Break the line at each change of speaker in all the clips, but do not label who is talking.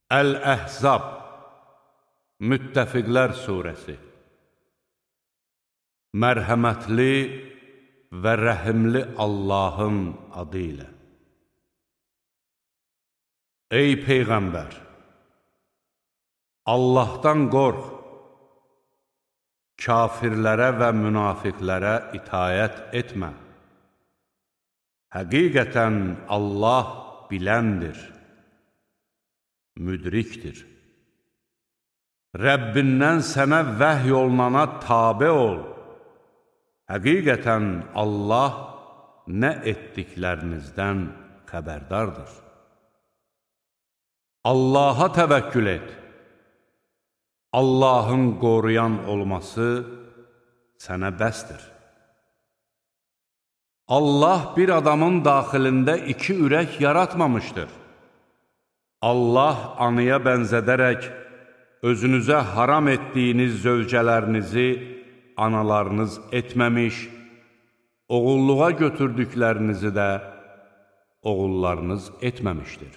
Əl-Əhzab Müttəfiqlər Suresi Mərhəmətli və rəhimli Allahın adı ilə. Ey Peyğəmbər! Allahdan qorx, kafirlərə və münafiqlərə itayət etmə. Həqiqətən Allah biləndir, müdrikdir. Rəbbindən sənə vəhy olunana tabe ol. Həqiqətən Allah nə etdiklərinizdən xəbərdardır. Allaha təvəkkül et. Allahın qoruyan olması sənə bəsdir. Allah bir adamın daxilində iki ürək yaratmamışdır. Allah anıya bənzədərək özünüzə haram etdiyiniz zövcələrinizi analarınız etməmiş, oğulluğa götürdüklərinizi də oğullarınız etməmişdir.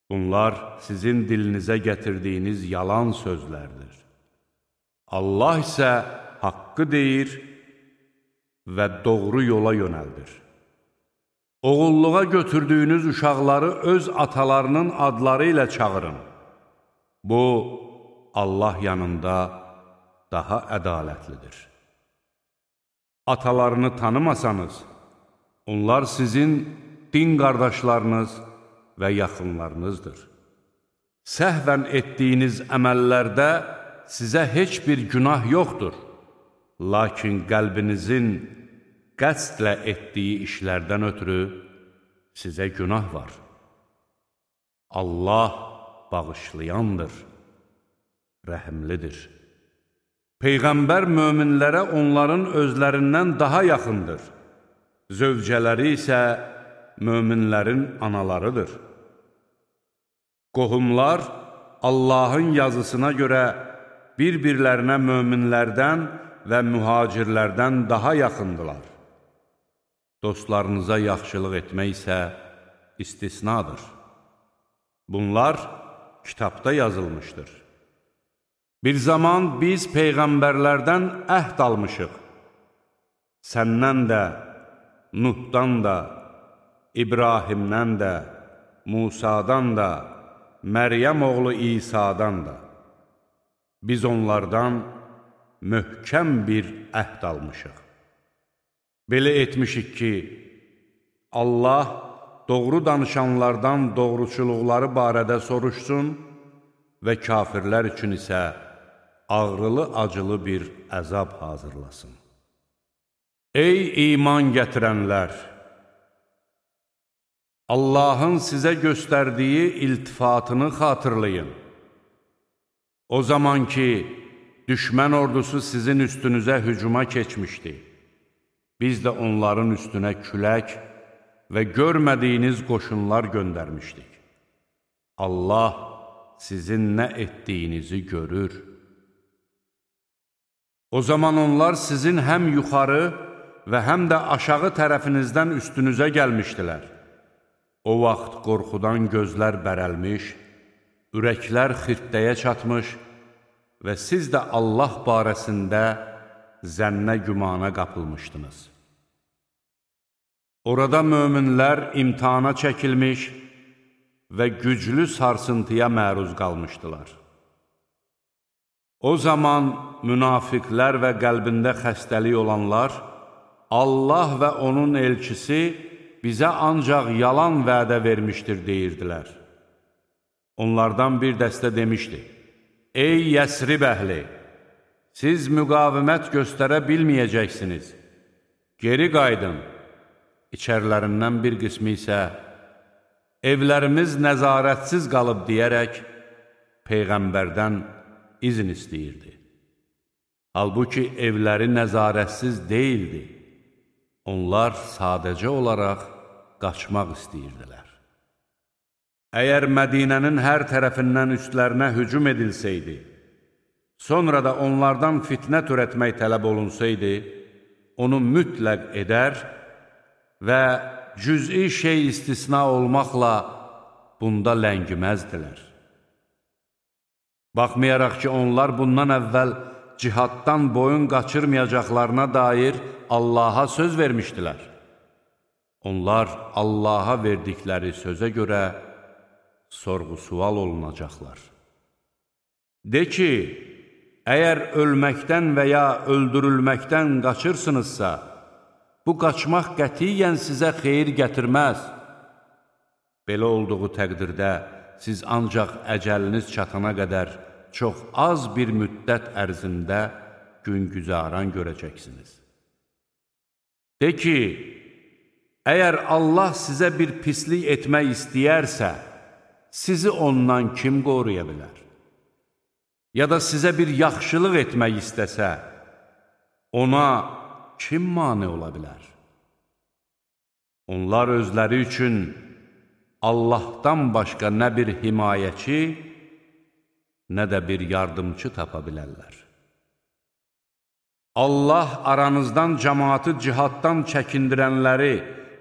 Bunlar sizin dilinizə gətirdiyiniz yalan sözlərdir. Allah isə haqqı deyir və doğru yola yönəldir. Oğulluğa götürdüyünüz uşaqları öz atalarının adları ilə çağırın. Bu, Allah yanında daha ədalətlidir. Atalarını tanımasanız, onlar sizin din qardaşlarınız və yaxınlarınızdır. Səhvən etdiyiniz əməllərdə sizə heç bir günah yoxdur. Lakin qəlbinizin qəsdlə etdiyi işlərdən ötürü sizə günah var. Allah bağışlayandır, rəhimlidir. Peyğəmbər möminlərə onların özlərindən daha yaxındır. Zövcələri isə möminlərin analarıdır. Qohumlar Allahın yazısına görə bir-birlərinə möminlərdən və mühacirlərdən daha yaxındılar. Dostlarınıza yaxşılıq etmək isə istisnadır. Bunlar kitabda yazılmışdır. Bir zaman biz peyğəmbərlərdən əhd almışıq. Səndən də, Nuhdan da, İbrahimdən də, Musadan da, Məryəm oğlu İsa'dan da. Biz onlardan möhkəm bir əhd almışıq. Belə etmişik ki, Allah doğru danışanlardan doğruçuluqları barədə soruşsun və kafirlər üçün isə ağrılı-acılı bir əzab hazırlasın. Ey iman gətirənlər! Allahın sizə göstərdiyi iltifatını xatırlayın. O zaman ki, düşmən ordusu sizin üstünüzə hücuma keçmişdi. Biz də onların üstünə külək və görmədiyiniz qoşunlar göndərmişdik. Allah sizin nə etdiyinizi görür. O zaman onlar sizin həm yuxarı və həm də aşağı tərəfinizdən üstünüzə gəlmişdilər. O vaxt qorxudan gözlər bərəlmiş, ürəklər xirtdəyə çatmış və siz də Allah barəsində zənnə gümana qapılmışdınız. Orada möminlər imtihana çəkilmiş və güclü sarsıntıya məruz qalmışdılar. O zaman münafiqlər və qəlbində xəstəlik olanlar, Allah və onun elçisi bizə ancaq yalan vədə vermişdir deyirdilər. Onlardan bir dəstə demişdi, Ey Yəsrib əhli! Siz müqavimət göstərə bilməyəcəksiniz. Geri qaydın. İçərilərindən bir qismi isə, evlərimiz nəzarətsiz qalıb deyərək, Peyğəmbərdən izin istəyirdi. Halbuki evləri nəzarətsiz deyildi. Onlar sadəcə olaraq qaçmaq istəyirdilər. Əgər Mədinənin hər tərəfindən üstlərinə hücum edilsəydi, sonra da onlardan fitnə törətmək tələb olunsaydı, onu mütləq edər və cüz'i şey istisna olmaqla bunda ləngiməzdilər. Baxmayaraq ki, onlar bundan əvvəl cihaddan boyun qaçırmayacaqlarına dair Allaha söz vermişdilər. Onlar Allaha verdikləri sözə görə sorğu-sual olunacaqlar. De ki, əgər ölməkdən və ya öldürülməkdən qaçırsınızsa, bu qaçmaq qətiyyən sizə xeyir gətirməz. Belə olduğu təqdirdə siz ancaq əcəliniz çatana qədər çox az bir müddət ərzində gün-güzaran görəcəksiniz. De ki, əgər Allah sizə bir pislik etmək istəyərsə, sizi ondan kim qoruya bilər? Ya da sizə bir yaxşılıq etmək istəsə, ona kim mane ola bilər? Onlar özləri üçün Allahdan başqa nə bir himayəçi, nə də bir yardımcı tapa bilərlər. Allah aranızdan cəmaatı cihaddan çəkindirənləri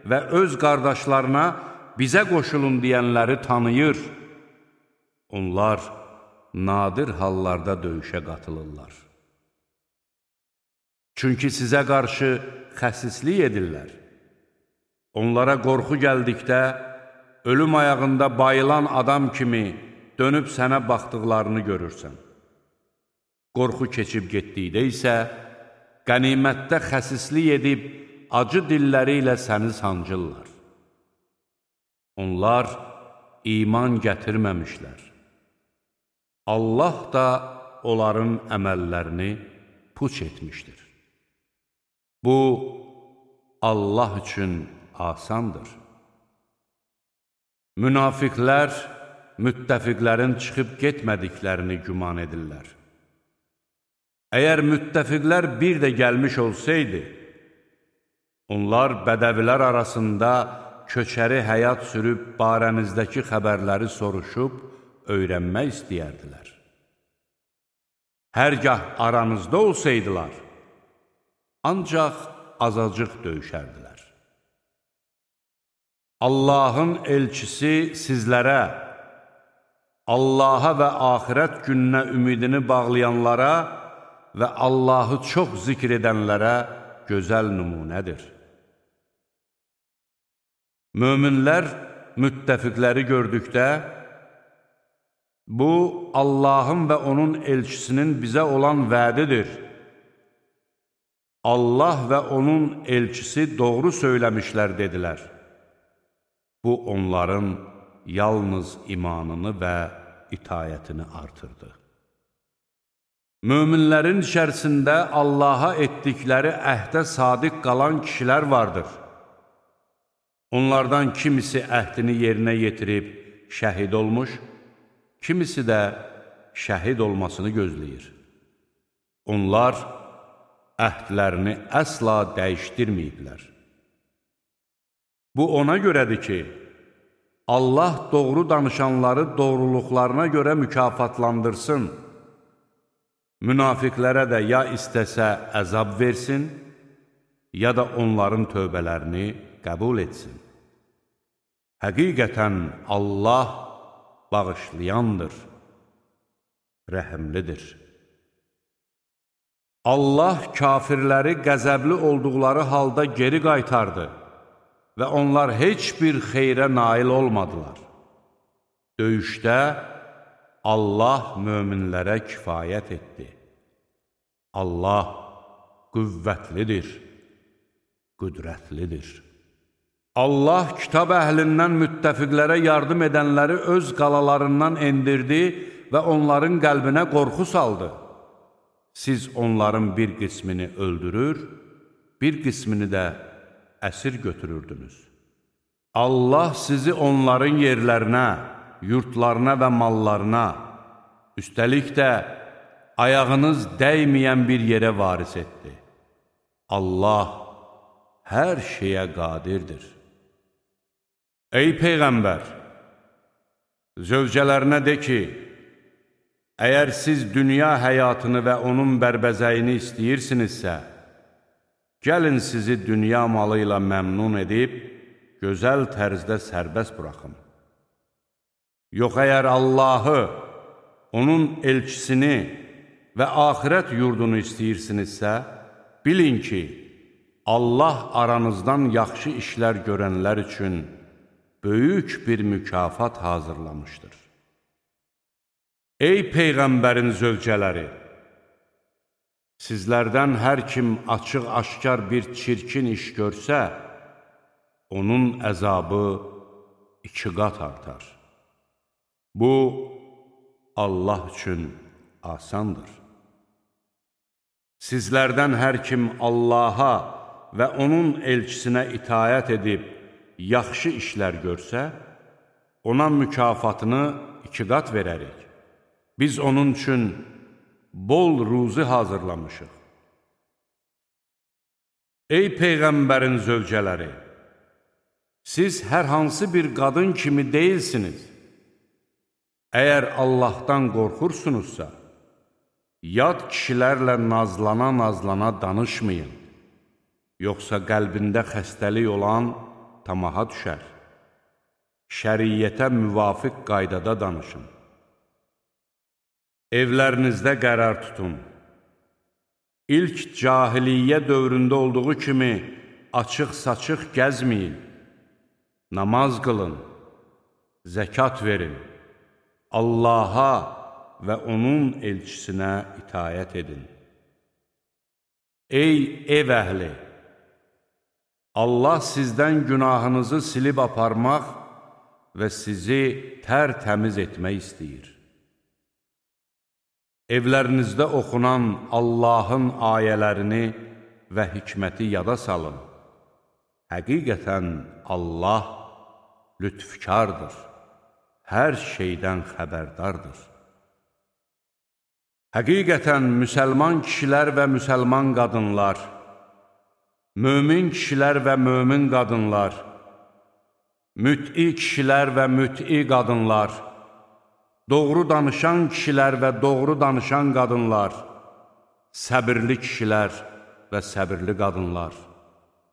və öz qardaşlarına bizə qoşulun deyənləri tanıyır. Onlar nadir hallarda döyüşə qatılırlar. Çünki sizə qarşı xəsislik edirlər. Onlara qorxu gəldikdə, ölüm ayağında bayılan adam kimi dönüb sənə baxdıqlarını görürsən. Qorxu keçib getdikdə isə, qənimətdə xəsislik edib, acı dilləri ilə səni sancırlar. Onlar iman gətirməmişlər. Allah da onların əməllərini puç etmişdir. Bu, Allah üçün asandır. Münafiqlər, müttəfiqlərin çıxıb getmədiklərini güman edirlər. Əgər müttəfiqlər bir də gəlmiş olsaydı, onlar bədəvilər arasında köçəri həyat sürüb barənizdəki xəbərləri soruşub, öyrənmək istəyərdilər. Hərgah aranızda olsaydılar, ancaq azacıq döyüşərdilər. Allahın elçisi sizlərə, Allaha və axirət gününə ümidini bağlayanlara və Allahı çox zikr edənlərə gözəl nümunədir. Möminlər müttəfiqləri gördükdə, bu, Allahın və onun elçisinin bizə olan vədidir. Allah və onun elçisi doğru söyləmişlər, dedilər. Bu, onların yalnız imanını və itayətini artırdı. Möminlərin içərisində Allaha etdikləri əhdə sadiq qalan kişilər vardır. Onlardan kimisi əhdini yerinə yetirib şəhid olmuş, kimisi də şəhid olmasını gözləyir. Onlar əhdlərini əsla dəyişdirməyiblər. Bu ona görədir ki, Allah doğru danışanları doğruluqlarına görə mükafatlandırsın. Münafiqlərə də ya istəsə əzab versin, ya da onların tövbələrini qəbul etsin. Həqiqətən Allah bağışlayandır, rəhimlidir. Allah kafirləri qəzəbli olduqları halda geri qaytardı və onlar heç bir xeyrə nail olmadılar. Döyüşdə Allah möminlərə kifayət etdi. Allah qüvvətlidir, qüdrətlidir. Allah kitab əhlindən müttəfiqlərə yardım edənləri öz qalalarından endirdi və onların qəlbinə qorxu saldı. Siz onların bir qismini öldürür, bir qismini də əsir götürürdünüz. Allah sizi onların yerlərinə, yurtlarına və mallarına, üstəlik də ayağınız dəyməyən bir yerə varis etdi. Allah hər şeyə qadirdir. Ey Peyğəmbər! Zövcələrinə de ki, əgər siz dünya həyatını və onun bərbəzəyini istəyirsinizsə, gəlin sizi dünya malı ilə məmnun edib, gözəl tərzdə sərbəst buraxın. Yox, əgər Allahı, onun elçisini və axirət yurdunu istəyirsinizsə, bilin ki, Allah aranızdan yaxşı işlər görənlər üçün böyük bir mükafat hazırlamışdır. Ey Peyğəmbərin zövcələri! Sizlərdən hər kim açıq-aşkar bir çirkin iş görsə, onun əzabı 2 qat artar. Bu, Allah üçün asandır. Sizlərdən hər kim Allaha və onun elçisinə itayət edib, yaxşı işlər görsə, ona mükafatını 2 qat verərik. Biz onun üçün bol ruzi hazırlamışıq. Ey Peyğəmbərin zövcələri! Siz hər hansı bir qadın kimi deyilsiniz. Əgər Allahdan qorxursunuzsa, yad kişilərlə nazlana-nazlana danışmayın. Yoxsa qəlbində xəstəlik olan tamaha düşər. Şəriyyətə müvafiq qaydada danışın. Evlərinizdə qərar tutun. İlk cahiliyyə dövründə olduğu kimi açıq-saçıq gəzməyin. Namaz qılın, zəkat verin. Allaha və onun elçisinə itayət edin. Ey ev əhli! Allah sizdən günahınızı silib aparmaq və sizi tərtəmiz etmək istəyir. Evlərinizdə oxunan Allahın ayələrini və hikməti yada salın. Həqiqətən Allah lütfkardır, hər şeydən xəbərdardır. Həqiqətən müsəlman kişilər və müsəlman qadınlar, mömin kişilər və mömin qadınlar, müt'i kişilər və müt'i qadınlar, doğru danışan kişilər və doğru danışan qadınlar, səbirli kişilər və səbirli qadınlar,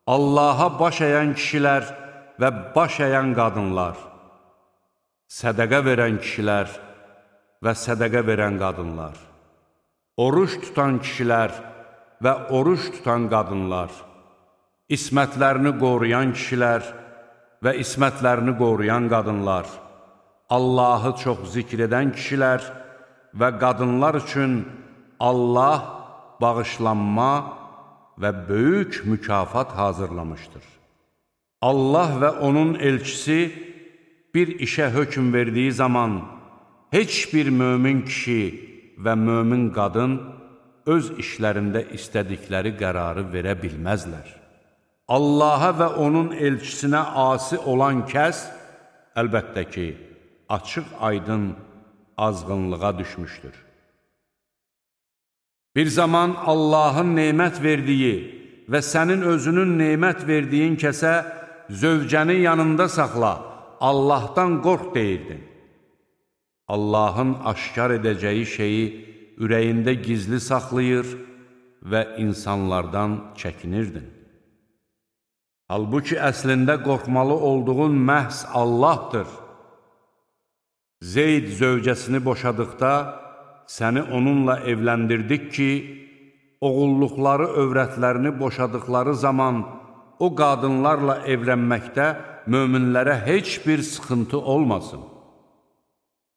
Allaha baş əyən kişilər və baş əyən qadınlar, sədəqə verən kişilər və sədəqə verən qadınlar, oruç tutan kişilər və oruç tutan qadınlar, ismətlərini qoruyan kişilər və ismətlərini qoruyan qadınlar, Allahı çox zikr edən kişilər və qadınlar üçün Allah bağışlanma və böyük mükafat hazırlamışdır. Allah və onun elçisi bir işə hökm verdiyi zaman heç bir mömin kişi və mömin qadın öz işlərində istədikləri qərarı verə bilməzlər. Allaha və onun elçisinə asi olan kəs, əlbəttə ki, açıq-aydın azğınlığa düşmüşdür. Bir zaman Allahın nemət verdiyi və sənin özünün nemət verdiyin kəsə zövcəni yanında saxla, Allahdan qorx deyirdin. Allahın aşkar edəcəyi şeyi ürəyində gizli saxlayır və insanlardan çəkinirdin. Halbuki əslində qorxmalı olduğun məhz Allahdır. Zeyd zövcəsini boşadıqda səni onunla evləndirdik ki, oğulluqları övrətlərini boşadıqları zaman o qadınlarla evlənməkdə möminlərə heç bir sıxıntı olmasın.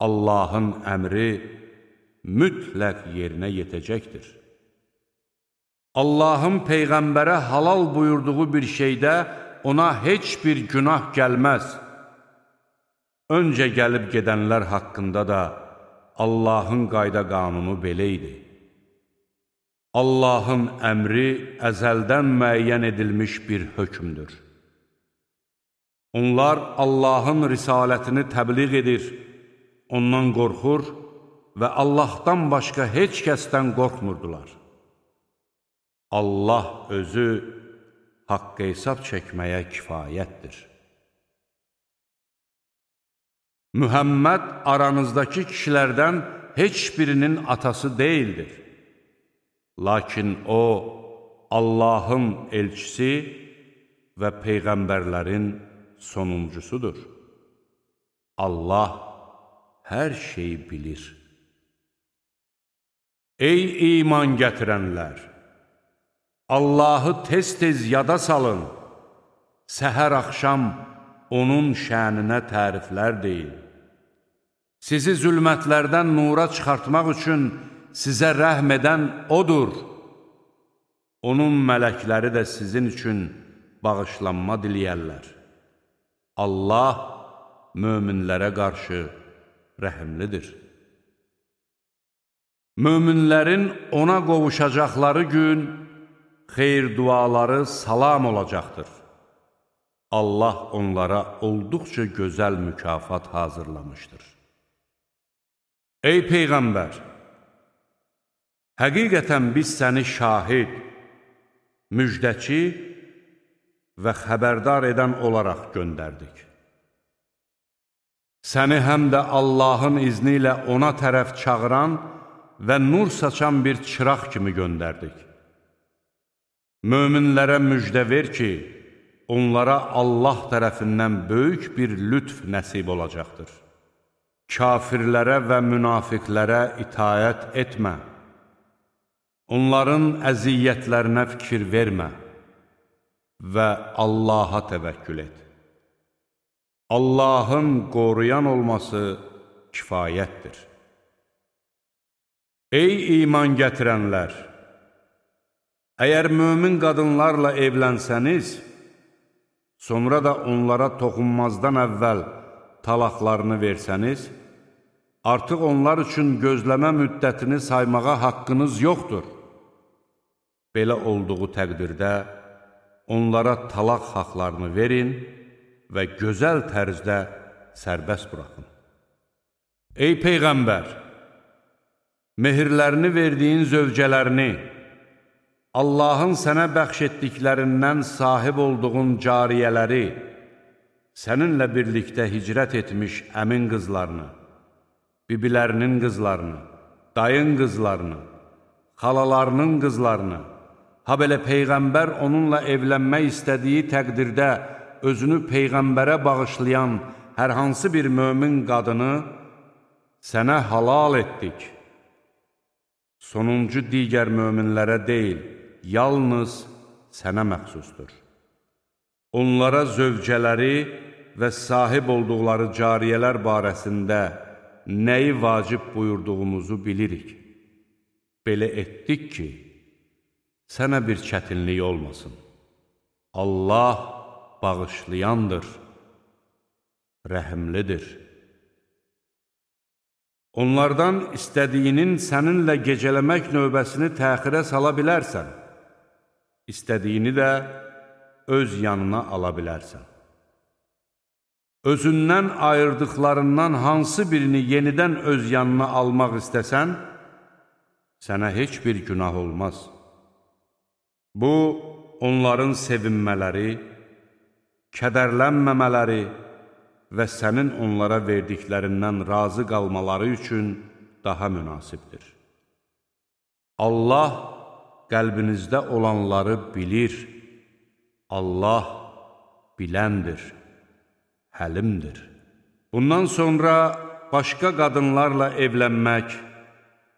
Allahın əmri mütləq yerinə yetəcəkdir. Allahın Peyğəmbərə halal buyurduğu bir şeydə ona heç bir günah gəlməz. Öncə gəlib gedənlər haqqında da Allahın qayda qanunu belə idi. Allahın əmri əzəldən müəyyən edilmiş bir hökmdür. Onlar Allahın risalətini təbliğ edir, ondan qorxur və Allahdan başqa heç kəsdən qorxmurdular. Allah özü haqq hesab çəkməyə kifayətdir. Mühəmməd aranızdakı kişilərdən heç birinin atası deyildir. Lakin o, Allahın elçisi və peyğəmbərlərin sonuncusudur. Allah hər şeyi bilir. Ey iman gətirənlər! Allahı tez-tez yada salın, səhər-axşam onun şəninə təriflər deyin. Sizi zülmətlərdən nura çıxartmaq üçün sizə rəhm edən O'dur. Onun mələkləri də sizin üçün bağışlanma diləyərlər. Allah möminlərə qarşı rəhimlidir. Möminlərin ona qovuşacaqları gün xeyir duaları salam olacaqdır. Allah onlara olduqca gözəl mükafat hazırlamışdır. Ey Peyğəmbər! Həqiqətən biz səni şahid, müjdəçi və xəbərdar edən olaraq göndərdik. Səni həm də Allahın izni ilə ona tərəf çağıran və nur saçan bir çıraq kimi göndərdik. Möminlərə müjdə ver ki, onlara Allah tərəfindən böyük bir lütf nəsib olacaqdır. Kafirlərə və münafiqlərə itayət etmə. Onların əziyyətlərinə fikir vermə və Allaha təvəkkül et. Allahın qoruyan olması kifayətdir. Ey iman gətirənlər! Əgər mömin qadınlarla evlənsəniz, sonra da onlara toxunmazdan əvvəl talaqlarını versəniz, artıq onlar üçün gözləmə müddətini saymağa haqqınız yoxdur. Belə olduğu təqdirdə onlara talaq haqlarını verin və gözəl tərzdə sərbəst buraxın. Ey Peyğəmbər! Mehirlərini verdiyin zövcələrini, Allahın sənə bəxş etdiklərindən sahib olduğun cariyələri, səninlə birlikdə hicrət etmiş əmin qızlarını, bibilərinin qızlarını, dayın qızlarını, xalalarının qızlarını, ha belə Peyğəmbər onunla evlənmək istədiyi təqdirdə özünü Peyğəmbərə bağışlayan hər hansı bir mömin qadını sənə halal etdik. Sonuncu digər möminlərə deyil, yalnız sənə məxsusdur. Onlara zövcələri və sahib olduqları cariyələr barəsində nəyi vacib buyurduğumuzu bilirik. Belə etdik ki, sənə bir çətinlik olmasın. Allah bağışlayandır, rəhimlidir. Onlardan istədiyinin səninlə gecələmək növbəsini təxirə sala bilərsən, istədiyini də öz yanına ala bilərsən. Özündən ayırdıqlarından hansı birini yenidən öz yanına almaq istəsən, sənə heç bir günah olmaz. Bu, onların sevinmələri, kədərlənməmələri və sənin onlara verdiklərindən razı qalmaları üçün daha münasibdir. Allah qəlbinizdə olanları bilir, Allah biləndir, həlimdir. Bundan sonra başqa qadınlarla evlənmək,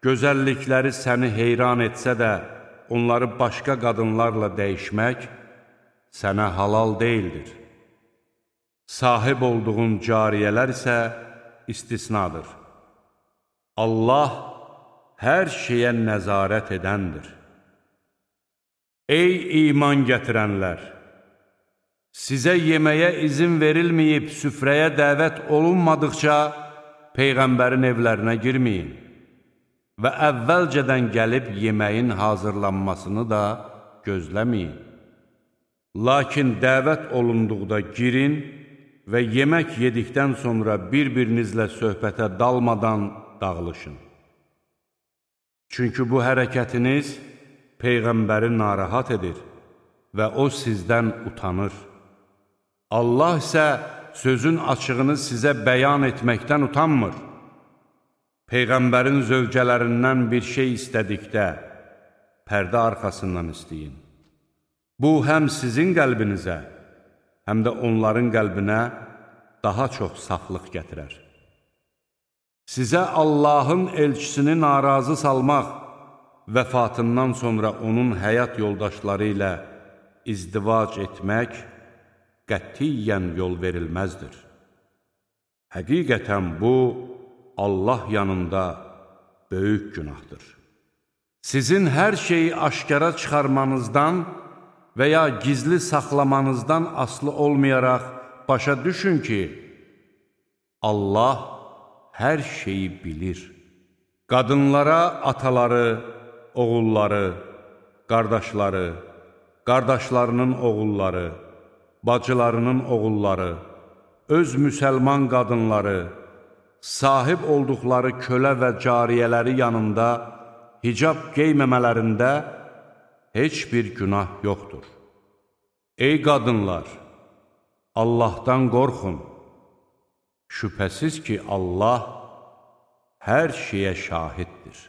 gözəllikləri səni heyran etsə də, onları başqa qadınlarla dəyişmək sənə halal deyildir. Sahib olduğun cariyələr isə istisnadır. Allah hər şeyə nəzarət edəndir. Ey iman gətirənlər! Sizə yeməyə izin verilməyib süfrəyə dəvət olunmadıqca Peyğəmbərin evlərinə girməyin və əvvəlcədən gəlib yeməyin hazırlanmasını da gözləməyin. Lakin dəvət olunduqda girin və yemək yedikdən sonra bir-birinizlə söhbətə dalmadan dağılışın. Çünki bu hərəkətiniz Peyğəmbəri narahat edir və o sizdən utanır. Allah isə sözün açığını sizə bəyan etməkdən utanmır. Peyğəmbərin zövcələrindən bir şey istədikdə, pərdə arxasından istəyin. Bu, həm sizin qəlbinizə, həm də onların qəlbinə daha çox saflıq gətirər. Sizə Allahın elçisini narazı salmaq vəfatından sonra onun həyat yoldaşları ilə izdivac etmək qətiyyən yol verilməzdir. Həqiqətən bu, Allah yanında böyük günahdır. Sizin hər şeyi aşkara çıxarmanızdan və ya gizli saxlamanızdan asılı olmayaraq başa düşün ki, Allah hər şeyi bilir. Qadınlara ataları, oğulları, qardaşları, qardaşlarının oğulları, bacılarının oğulları, öz müsəlman qadınları, sahib olduqları kölə və cariyələri yanında hicab qeyməmələrində heç bir günah yoxdur. Ey qadınlar, Allahdan qorxun. Şübhəsiz ki, Allah hər şeyə şahiddir.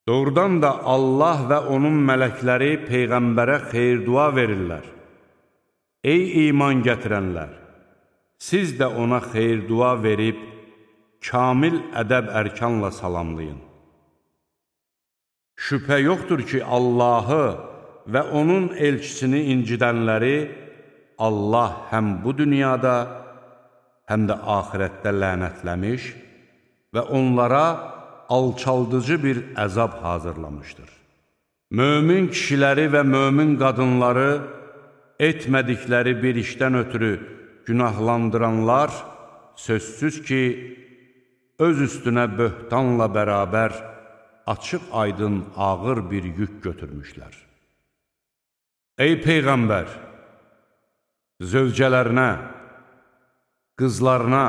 Doğrudan da Allah və onun mələkləri Peyğəmbərə xeyir-dua verirlər. Ey iman gətirənlər! Siz də ona xeyir-dua verib, kamil ədəb-ərkanla salamlayın. Şübhə yoxdur ki, Allahı və onun elçisini incidənləri Allah həm bu dünyada, həm də axirətdə lənətləmiş və onlara alçaldıcı bir əzab hazırlamışdır. Mömin kişiləri və mömin qadınları etmədikləri bir işdən ötürü günahlandıranlar sözsüz ki, öz üstünə böhtanla bərabər açıq-aydın ağır bir yük götürmüşlər. Ey Peyğəmbər! Zövcələrinə, qızlarına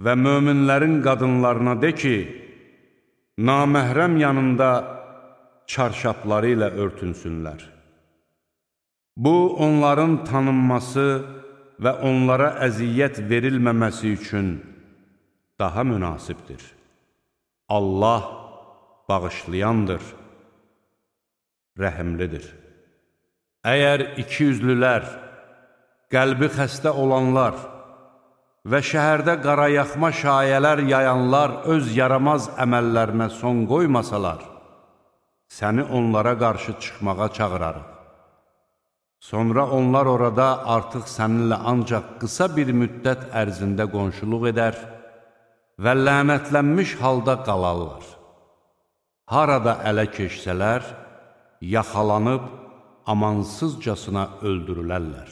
və möminlərin qadınlarına de ki, naməhrəm yanında çarşapları ilə örtünsünlər. Bu, onların tanınması və onlara əziyyət verilməməsi üçün daha münasibdir. Allah bağışlayandır, rəhimlidir. Əgər ikiyüzlülər, qəlbi xəstə olanlar və şəhərdə qarayaxma şayələr yayanlar öz yaramaz əməllərinə son qoymasalar, səni onlara qarşı çıxmağa çağırarıq. Sonra onlar orada artıq səninlə ancaq qısa bir müddət ərzində qonşuluq edər və lənətlənmiş halda qalarlar. Harada ələ keçsələr, yaxalanıb amansızcasına öldürülərlər.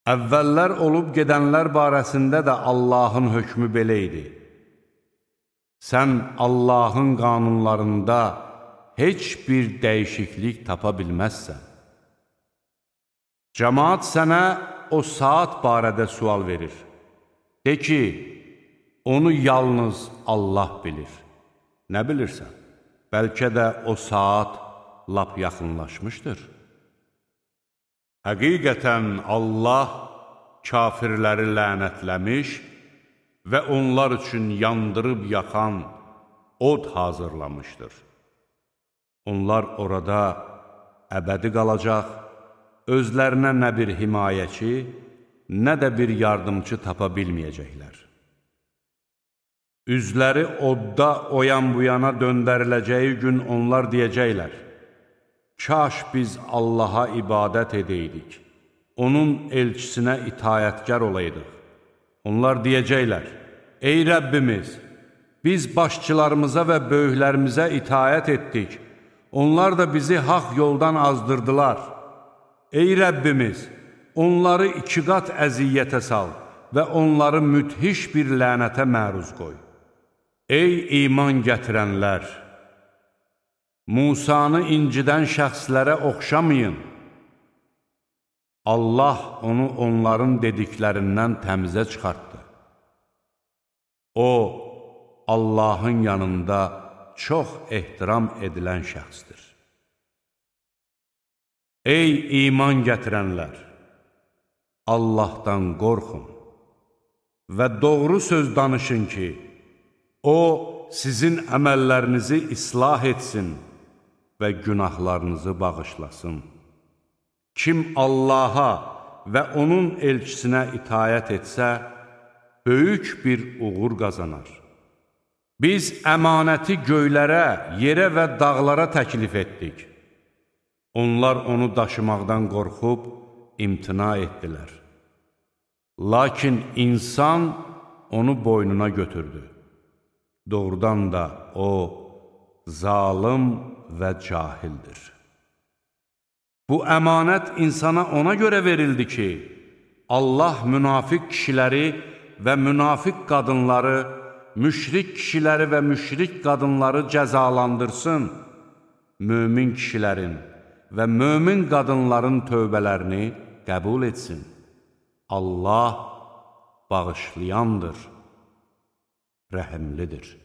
Əvvəllər olub gedənlər barəsində də Allahın hökmü belə idi. Sən Allahın qanunlarında heç bir dəyişiklik tapa bilməzsən. Cəmaat sənə o saat barədə sual verir. De ki, onu yalnız Allah bilir. Nə bilirsən? Bəlkə də o saat lap yaxınlaşmışdır. Həqiqətən Allah kafirləri lənətləmiş və onlar üçün yandırıb yaxan od hazırlamışdır. Onlar orada əbədi qalacaq, özlərinə nə bir himayəçi, nə də bir yardımcı tapa bilməyəcəklər. Üzləri odda oyan bu yana döndəriləcəyi gün onlar deyəcəklər, kaş biz Allaha ibadət edəydik, onun elçisinə itayətkar olaydıq. Onlar deyəcəklər, ey Rəbbimiz, biz başçılarımıza və böyüklərimizə itayət etdik, onlar da bizi haqq yoldan azdırdılar. Ey Rəbbimiz, onları 2 qat əziyyətə sal və onları müthiş bir lənətə məruz qoy. Ey iman gətirənlər! Musanı incidən şəxslərə oxşamayın. Allah onu onların dediklərindən təmizə çıxartdı. O, Allahın yanında çox ehtiram edilən şəxsdir. Ey iman gətirənlər! Allahdan qorxun və doğru söz danışın ki, O, sizin əməllərinizi islah etsin və günahlarınızı bağışlasın. Kim Allaha və onun elçisinə itayət etsə, böyük bir uğur qazanar. Biz əmanəti göylərə, yerə və dağlara təklif etdik. Onlar onu daşımaqdan qorxub imtina etdilər. Lakin insan onu boynuna götürdü. Doğrudan da o, zalım və cahildir. Bu əmanət insana ona görə verildi ki, Allah münafiq kişiləri və münafiq qadınları, müşrik kişiləri və müşrik qadınları cəzalandırsın, mömin kişilərin və mömin qadınların tövbələrini qəbul etsin. Allah bağışlayandır, rəhimlidir.